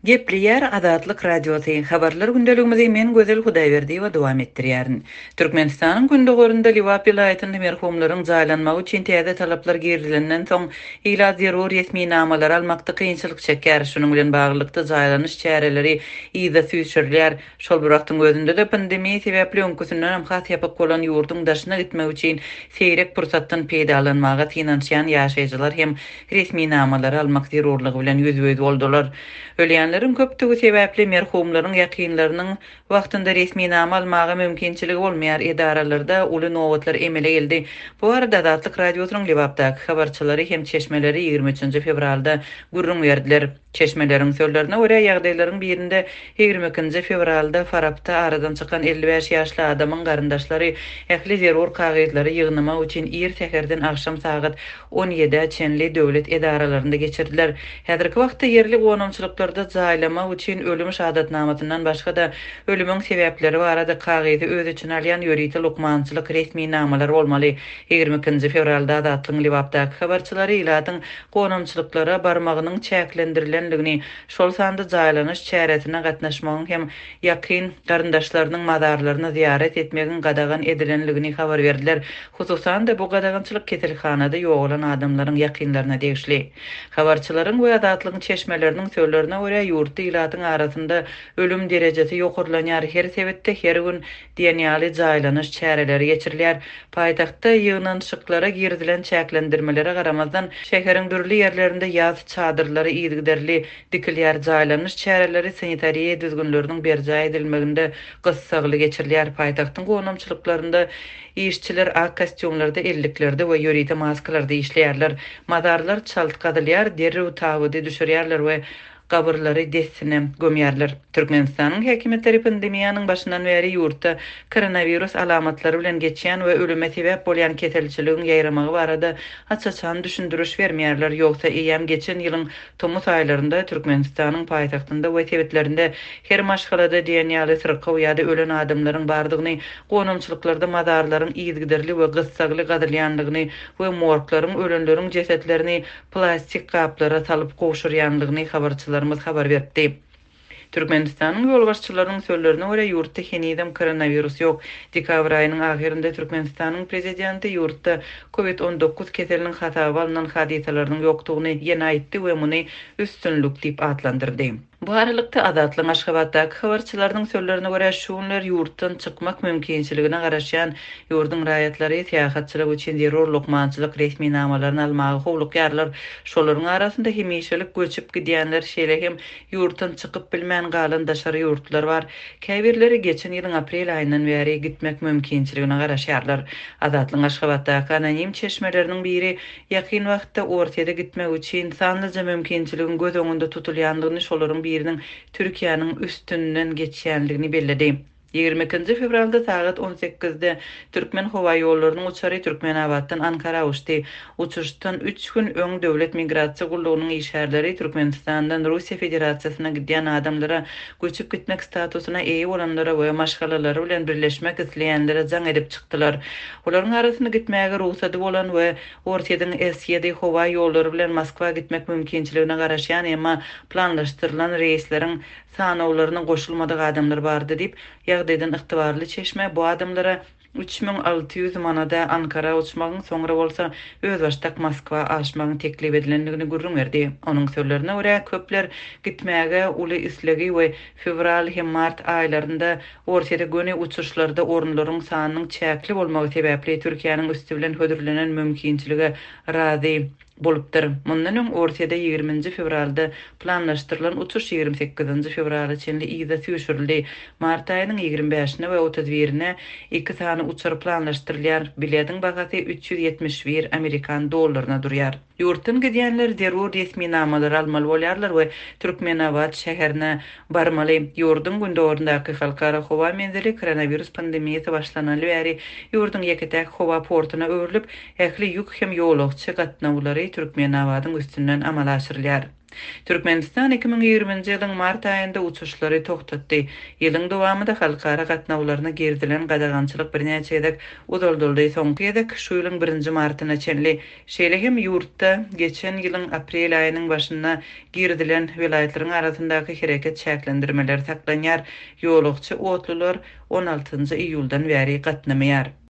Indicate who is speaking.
Speaker 1: Gepleýär Azatlyk Radiosy, Habarlar gündeligimizi men Gözel Hudaýberdiýewa dowam etdirýärin. Türkmenistanyň gündogarynda Lebap welaýatynda merhumlaryň jaýlanmagy üçin täze talaplar girizilenden soň, ilat zerur resminamalary almakda kynçylyk çekýär. Şunuň bilen baglylykda, jaýlanyş çäreleri yza süýşürilýär. Şol bir wagtyň özünde-de, pandemiýa sebäpli öňküsindenem has ýapyk bolan ýurduň daşyna gitmek üçin seýrek pursatdan peýdalanmaga synanyşýan ýaşaýjylar hem resminamalary almak zerurlygy bilen ýüzbe-ýüz boldular. Ölýänleriň köpdügi sebäpli merhumlaryň ýakynlarynyň wagtynda resminama almaga mümkinçiligi bolmaýar, edaralarda uly nobatlar emele geldi. Bu barada Azatlyk Radiosynyň Lebapdaky habarçylary hem çeşmeleri 23 fewralda gürrüň berdiler. Çeşmeleriň sözlerine görä, ýagdaýlaryň birinde 22-nji fewralda Farapda aradan çykan 55 ýaşly adamyň garyndaşlary ähli zerur kagyzlary ýygnamak üçin ir säherden agşam sagat on ýedä çenli döwlet edaralarynda geçirdiler. Häzirki wagtda ýerli gonamçylyklarda jaýlamak üçin ölüm şahadatnamasyndan başga-da, ölümiň sebäpleri barada kagyzy öz içine alýan ýörite lukmançylyk resminamalary bolmaly. 22 nji fewralda Azatlygyň Lebapdaky habarçylary ilatyň gonamçylyklara barmagynyň çäklendirilendigini, şol sanda jaýlanyş çäresine gatnaşmagyň hem ýakyn garyndaşlarynyň mazarlaryna zyýarat etmegiň gadagan edilendigini habar berdiler. Hususan-da, bu gadagançylyk keselhanada ýogalan adamlaryň ýakynlaryna degişli. Habarçylaryň we Azatlygyň çeşmeleriniň sözlerine görä, ýurtda ilatyň arasynda ölüm derejesi ýokarlanýar, her sebitde her gün diýen ýaly jaýlanyş çäreleri geçirilýär. Paýtagtda ýygnanyşyklara girizilen çäklendirmelere garamazdan, şäheriň dürli ýerlerinde ýas çadyrlary yzygiderli dikilýär, jaýlanyş çäreleri sanitariýa düzgünleriniň berjaý edilmeginde gyssagly geçirilýär. Paýtagtyň gonamçylyklarynda işçiler ak kostýumlarda, elliklerde we ýörite maskalarda işleýärler. Mazarlar çalt gazylýar, derrew tabydy düşürýärler we gabyrlary dessine gömýärler. Türkmenistanyň häkimiýetleri pandemiýanyň başyndan bäri ýurtda koronawirus alamatlary bilen geçýän we ölüme sebäp bolýan keselçiligiň ýaýramagy barada aç-açan düşündiriş bermeýärler, ýogsa eýýäm geçen ýylyň Tomus aýlarynda Türkmenistanyň paýtagtynda we sebitlerinde her maşgalada diýen ýaly syrkaw ýa-da ölen adamlaryň bardygyny, gonamçylyklarda mazarlaryň yzygiderli we gyssagly gazylýandygyny we morglaryň ölenleriň jesetlerini plastik gaplara salyp gowşurýandygyny habarçylarymyz habar beripdi. Türkmenistanyň ýolbaşçylarynyň sözlerine görä, ýurtda henizem koronawirus ýok. Dekabr aýynyň ahyrynda Türkmenistanyň prezidenti ýurtda Covid 19 keseliniň hasaba alnan hadysalarynyň ýokdugyny ýene aýtdy we muny üstünlik diýip atlandyrdy. Bu aralykda, Azatlygyň Aşgabatdaky habarçylarynyň sözlerine görä, şu günler ýurtdan çykmak mümkinçiligine garaşýan ýurduň raýatlary syýahatçylyk üçin zerur lukmançylyk resminamalaryny almaga howlukýarlar. Şolaryň arasynda hemişelik göçüp gidýänler, şeýle hem Ýurtdan çykyp bilmän galan daşary ýurtlular bar. Käbirleri geçen ýylyň aprel aýyndan bäri gitmek mümkinçiligine garaşýarlar. Azatlygyň Aşgabatdaky anonim çeşmeleriniň biri ýakyn wagtda Orsýete gitmek üçin sanlyja mümkinçiligiň göz öňünde tutulýandygyny, şolaryň biriniň Türkiýäniň üstünden geçýändigini belledi. 22-nji fewralda sagat on sekizde Türkmenhowaýollarynyň uçary Türkmenabatdan Ankara uçdy. Uçuşdan üç gün öň Döwlet migrasiýa gullugynyň işgärleri Türkmenistandan Russiýa Federasiýasyna gidýän adamlara, göçüp gitmek statusyna eýe bolanlara we maşgalalary bilen birleşmek isleýänlere jaň edip çykdylar. Olaryň arasynda gitmäge rugsady bolan we Orsýetiň S-ýedi howa ýollary bilen Moskwa gitmek mümkinçiligine garaşýan, emma planlaşdyrylan reýsleriň Sanawlaryna goşulmadyk adamlar bardy diýip, ýagdaýdan ygtybarly çeşme bu adamlara 3600 manada Ankara uçmagyň, soňra bolsa özbaşdak Moskwa aşmagyň teklip edilendigini gürrüň berdi. Onuň sözlerine görä, köpler gitmäge uly islegi we fewral hem mart aýlarynda Orsýete göni uçuşlarda orunlaryň sanynyň çäkli bolmagy sebäpli Türkiýäniň üsti bilen hödürlenen mümkinçilige razy Bolupdyr. Mundan öň Orsýede 20-nji fewralda planlaşdyrylan uçuş 28-nji fewrala çenli yza süýşürildi. Mart aýynyň 25-ine we 31-ine iki sany uçar planlaşdyrylýar. Bilediň bahasy 371 amerikan dollaryna durýar. Ýurtdan gidýänler zerur resminamalary almaly bolýarlar we Türkmenabat şäherine barmaly. Ýurduň gündogaryndaky halkara howa menzili koronawirus pandemiýasy başlanaly bäri ýurduň ýeke-täk howa portuna öwrülip, Ähli ýük hem ýolagçy gatnawlary Türkmenabadyň üstünden amala aşyrylýar. Türkmenistan 2020-nji ýylyň mart aýynda uçuşlary togtatdy. Ýylyň dowamynda halkara gatnawlaryna girizilen gadagançylyk birnäçe gezek uzaldyldy, soňky gezek şu ýylyň birinji martyna çenli. Şeýle hem ýurtda geçen ýylyň aprel aýynyň başynda girizilen welaýatlaryň arasyndaky hereket çäklendirmeleri saklanýar, ýolagçy otlular on altynjy iýuldan bäri gatnamaýar.